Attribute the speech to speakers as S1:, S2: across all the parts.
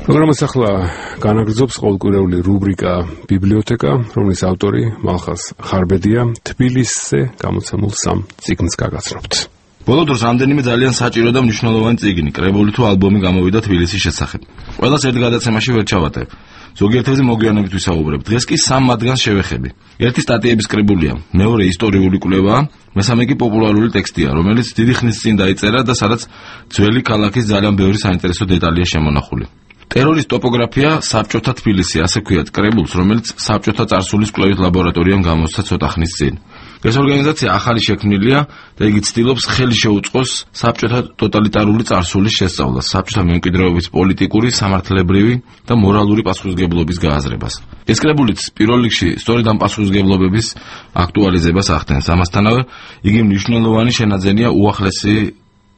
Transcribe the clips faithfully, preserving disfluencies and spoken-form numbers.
S1: პროგრამას ახლა განაგრძობს ყოველკვირეული რუბრიკა ბიბლიოთეკა, რომლის ავტორი მალხაზ ხარბედია თბილისზე გამოცემულ სამ წიგნს გაგაცნობთ.
S2: ბოლო დროს რამდენიმე ძალიან საჭირო და მნიშვნელოვანი წიგნი, კრებული თუ ალბომი გამოვიდა თბილისის შესახებ. ყველას ერთ გადაცემაში ვერ ჩავატებ. ზოგიერთებზე მოგვიანებით ვისაუბრებ. დღეს კი სამ მათგანს შევეხები. ერთი სტატიების კრებულია, მეორე ისტორიული კვლევაა, მესამე კი პოპულარული ტექსტია, რომელიც დიდი ხნის წინ დაიწერა და სადაც ძველი ქალაქის ძალიან ბევრი საინტერესო დეტალია შემონახული. ტერორის ტოპოგრაფია საბჭოთა თბილისი, ასე ქვიათ კრებულს, რომელიც საბჭოთა წარსულის კვლევის ლაბორატორიამ გამოსცა ცოტა ხნის წინ. ეს ორგანიზაცია ახალი შექმნილია და იგი ცდილობს ხელი შეუწყოს საბჭოთა ტოტალიტარული წარსულის შესწავლას, საბჭოთა მემკვიდრეობის პოლიტიკური, სამართლებრივი და მორალური პასუხისმგებლობის გააზრებას. ეს კრებულიც პირველ რიგში სწორედ ამ პასუხისმგებლობების აქტუალიზებას ახდენს. ამასთანავე იგი მნიშვნელოვანი შენაძენია უახლესი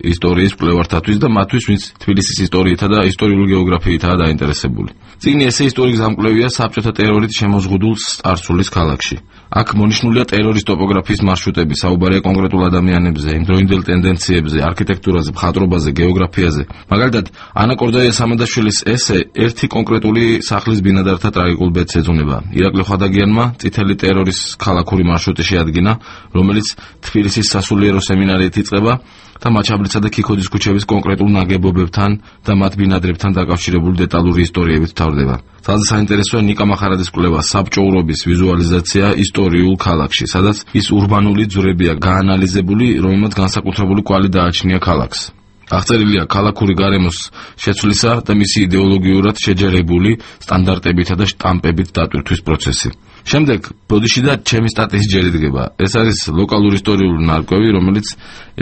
S2: ისტორიის კვლევართათვის და მათთვის, ვინც თბილისის ისტორიითა და ისტორიული გეოგრაფიითაა დაინტერესებული. წიგნი ესე ისტორიის გამკვლევია საბჭოთა ტერორით შემოზღუდულ წარსულის ქალაქში. აქ მონიშნულია ტერორის ტოპოგრაფიის მარშრუტები, საუბარია კონკრეტულ ადამიანებზე, იმდროინდელ ტენდენციებზე, არქიტექტურაზე, მხატვრობაზე, გეოგრაფიაზე. მაგალითად, ანა კორდაია-სამადაშვილის ესე ერთი კონკრეტული სახლის ბინადართა ტრაგიკულ ბედს ეძღვნება. ირაკლი ხვადაგიანმა წითელი ტერორის ქალაქური მარშრუტი შეადგინა, რომელიც თბილისის სასულიერო სემინარიით იწყება და მაჩაბლისა და ქიქოდის ქუჩების კონკრეტულ ნაგებობებთან და მათ ბინადრებთან დაკავშირებული დეტალური ისტორიებით თავდება. ძალიან საინტერესოა ნიკა მახარაძის კვლევა საბჭოურობის ვიზუალიზაცია ისტორიულ ქალაქში, სადაც ის ურბანული ძვრებია გაანალიზებული, რომელმაც განსაკუთრებული კვალი დააჩნია ქალაქს. აღწერილია ქალაქური გარემოს შეცვლისა და მისი იდეოლოგიურად შეჯერებული სტანდარტებითა და შტამპებით დატვირთვის პროცესი. შემდეგ ბოდიში და ჩემი სტატიის ჯერიდგება. ეს არის ლოკალური ისტორიული ნარკვევი, რომელიც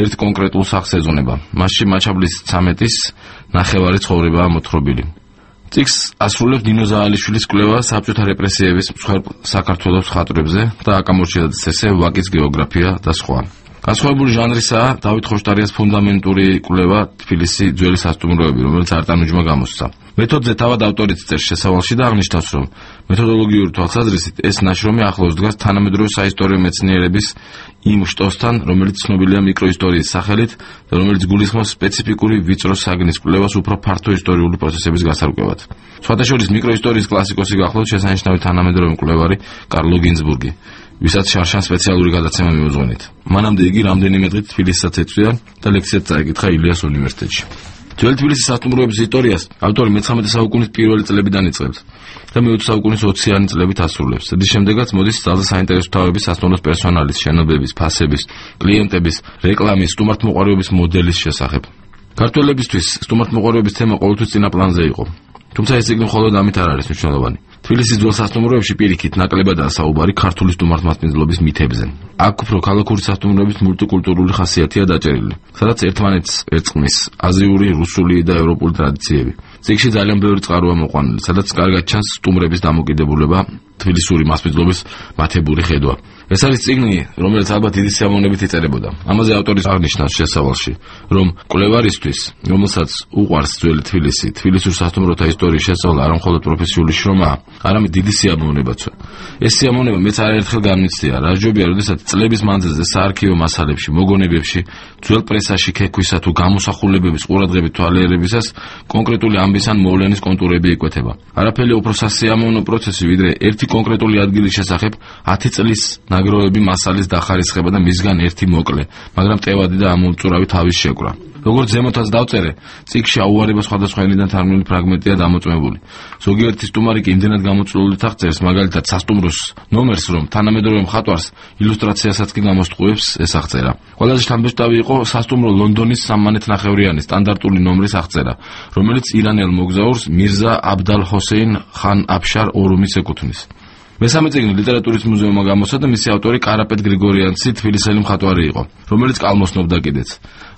S2: ერთ კონკრეტულ სახს ეძღვნება. მასში მაჩაბლის ცამეტის ნახევარი ცხოვრებაა მოთხრობილი. წიგნს ასრულებს ნინო ზაალიშვილის კვლევა საბჭოთა რეპრესიების მსხვერპლ საქართველოს მხატვრებზე და აკამორჩიაძის ესე ვაკის გეოგრაფია და სხვა. განსხვავებული ჟანრისაა დავით ხოშტარიას ფუნდამენტური კვლევა თბილისი ძველი სასტუმროები, რომელიც არტანუჯმა გამოსცა. მეთოდზე თავად ავტორიც წერს შესავალში და აღნიშნავს, რომ მეთოდოლოგიური თვალსაზრისით ეს ნაშრომი ახლოს დგას თანამედროვე საისტორიო მეცნიერების იმ შტოსთან, რომელიც ცნობილია მიკროისტორიის სახელით და რომელიც გულისხმობს სპეციფიკური ვიწრო საგნის კვლევას უფრო ფართო ისტორიული პროცესების გასარკვევად. სხვათა შორის მიკროისტორიის კლასიკოსი გახლავთ შესანიშნავი თანამედროვე მკვლევარი კარლო გინზბურგი, ვისაც შარშან სპეციალური გადაცემა მიუძღვენით. მანამდე იგი რამდენიმე დღით თბილისსაც ეწვია და ლექციაც წაეკითხა ილიას უნივერსიტეტში. ძველი თბილისის სასტუმროების ისტორიას ავტორი მეცხრამეტე საუკუნის პირველი წლებიდან იწყებს და მეოცე საუკუნის ოციანი წლებით ასრულებს. რის შემდეგაც მოდის ძალზე საინტერესო თავების სასტუმროს პერსონალის, შენობების, ფასების, კლიენტების, რეკლამის, სტუმართმოყვარეობის მოდელის შესახებ. ქართველებისთვის სტუმართმოყვარეობის თემა ყოველთვის წინა პლანზე იყო. თუმცა ეს წიგნი მხოლოდ ამით არ არის მნიშვნელოვანი. თბილისის ძველ სასტუმროებში პირიქით ნაკლებადაა საუბარი ქართული სტუმართმასპინძლობის მითებზე. აქ უფრო ქალაქური სასტუმროების მულტიკულტურული ხასიათია დაჭერილი, სადაც ერთმანეთს ერწყმის აზიური, რუსული და ევროპული ტრადიციები. წიგნში ძალიან ბევრი წყაროა მოყვანილი, სადაც კარგად ჩანს სტუმრების დამოკიდებულება, თბილისური მასპინძლობის მათებური ხედვა. ეს არის წიგნი, რომელიც ალბათ დიდი სიამოვნებით იწერებოდა. ამაზე ავტორი აღნიშნავს შესავალში, რომ კვლევარისთვის, რომელსაც უყვარს ძველი თბილისი, თბილისურ სასტუმროთა ისტორიის შესწავლა არა მხოლოდ პროფესიული შრომაა, არამედ დიდი სიამოვნებაცვე. ეს სიამოვნება მეც არაერთხელ გამიცდია, რასჯობია, როდესაც წლების მანძილზე საარქივო მასალებში, მოგონებებში, ძველ პრესაში ქექვისა თუ გამოსახულებების ყურადღებით თვალიერებისას კონკრეტული ამბის ან მოვლენის კონტურები იკვეთება. არაფერი უფრო სასიამოვნო პროცესი, ვიდრე ერთი კონკრეტული ადგილის შესახებ ათი წლის ნაგროვები მასალის დახარისხება და მისგან ერთი მოკლე, მაგრამ მტევადი და ამოუწურავი თავის შეკვრა. როგორც ზემოთაც დავწერე, წიგნში აუარება სხვადასხვა ენიდან თარგმნილი ფრაგმენტია დამოწმებული. ზოგიერთი სტუმარი კი იმდენად გამოწვეულით აღწერს, მაგალითად სასტუმროს ნომერს, რომ თანამედროვე მხატვარს ილუსტრაციასაც კი გამოსტყუებს ეს აღწერა. ყველაზე შთამბეჭდავი იყო სასტუმრო ლონდონის სამმანეთნახევრიანი სტანდარტული ნომრის აღწერა, რომელიც ირანელ მოგზაურს მირზა აბდალ ჰოსეინ ხან აფშარ ორუმის ეკუთვნის. მესამე წიგნი ლიტერატურის მუზეუმმა გამოსცა და მისი ავტორი კარაპეტ გრიგორიანცი თბილისელი მხატვარი იყო, რომელიც კალმოსნობდა კიდეც.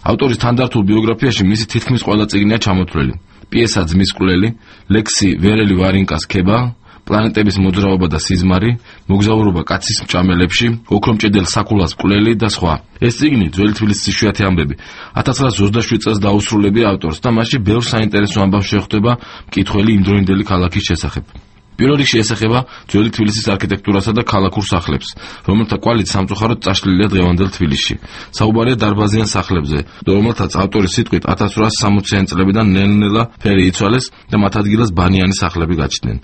S2: ავტორის თანდართულ ბიოგრაფიაში მისი თითქმის ყველა წიგნია ჩამოთვლილი. პიესა ძმის კვლელი, ლექსი ვერელი ვარინკას ქება, პლანეტების მოძრაობა და სიზმარი, მოგზაურობა კაცის მჭამელებში, ოქრომჭედელ საქულას კვლელი და სხვა. ეს წიგნი ძველი თბილისის იშვიათი ამბები ათას ცხრაასი ოცდაშვიდ წელს დაუსრულებია ავტორს და მასში ბევრ საინტერესო ამბავს შეხვდება მკითხველი იმდროინდელი ქალაქის შესახებ. პირველ რიგში ეს ეხება ძველი თბილისის არქიტექტურასა და ქალაქურ სახლებს, რომელთა კვალით სამწუხაროდ წაშლილია დღევანდელ თბილისში. საუბარია დარბაზიან სახლებზე, რომელთაც ავტორის სიტყვით ათას რვაასი სამოციანი წლებიდან ნელ-ნელა ფერი იცვალეს და მათ ადგილას ბანიანი სახლები გაჩნდნენ.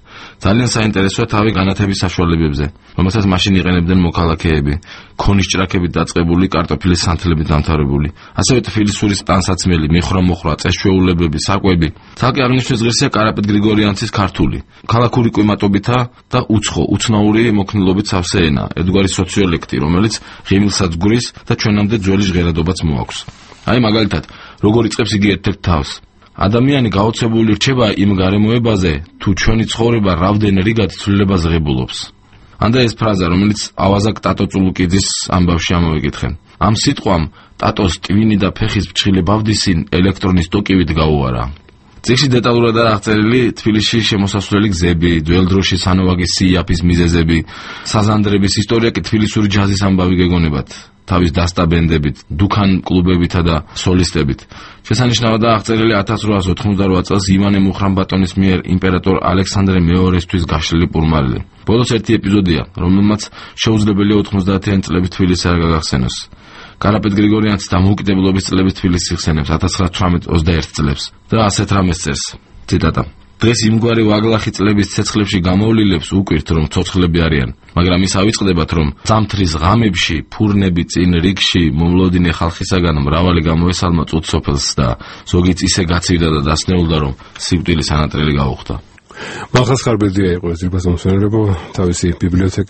S2: ძალიან საინტერესოა თავი განათების საშუალებებზე, რომელსაც მაშინ იყენებდნენ მოქალაქეები, ქონის ჭრაქებით დაწყებული კარტოფილის სანთლებით დამთავრებული, ასევე თბილისურის ტანსაცმელი, მიხვრა-მოხრა, წესჩვეულებები, საკვები. ცალკე აღნიშნვის ღირსია კარაპეტ გრიგორიანცის ქართული, ქალაქური კლიმატობითა და უცხო, უცნაური მოქნილობით სავსე ენა, ერთგვარი სოციოლექტი, რომელიც ღიმილსაც გვრის და ჩვენამდე ძველი ჟღერადობაც მოაქვს. აი მაგალითად, როგორ იწყებს იგი ერთ-ერთ თავს. ადამიანი გაოცებული რჩება იმ გარემოებაზე, თუ ჩვენი ცხოვრება რავდენ რიგად ცვლილებას ღებულობს. ანდა ეს ფრაზა, რომელიც ავაზაკ ტატო წულუკიძის ამბავში ამოვიკითხენ. ამ სიტყვამ ტატოს ტვინი და ფეხის ფჩხილი ბავდისინ ელექტრონის ტოკივით გაუარა. წიგნში დეტალურადაა აღწერილი თბილისში შემოსასვლელი გზები, ძველდროში სანოვაგის სიაფის მიზეზები, საზანდრების ისტორია კი თბილისური ჯაზის ამბავი გეგონებათ, თავის დასტაბენდებით, დუქან კლუბებითა და სოლისტებით. შესანიშნავადაა აღწერილი ათას რვაასი ოთხმოცდარვა წელს ივანე მუხრან-ბატონის მიერ იმპერატორ ალექსანდრე მეორესთვის გაშლილი პურმალილი. ბოლოს ერთი ეპიზოდია, რომელმაც შეუძლებელია ოთხმოცდაათიანი წლების თბილისი არ გაგახსენოს. კარაპეტ გრიგორიანცის დამოუკიდებლობის წლების თბილისს იხსენებს ათას ცხრაასი ოცდაერთი წლებს და ასეთ რამეს წერს. ციტატა: დღეს იმგვარი ვაგლახი წლების ცეცხლებში გამოვლილებს უკვირთ, რომ ცოცხლები არიან, მაგრამ ის ავიწყდებათ, რომ ზამთრის ღამებში, ფურნები წინ რიგში მომლოდინე ხალხისაგან მრავალი გამოესალმა წუთ სოფელს და ზოგიც ისე გაცივდა და დასნეულდა, რომ სიკვდილის ანატრელი გაუხდა.
S1: მალხაზ ხარბედია იყო ეს ძირფას მომსვენებელო თავისი ბიბლიოთეკით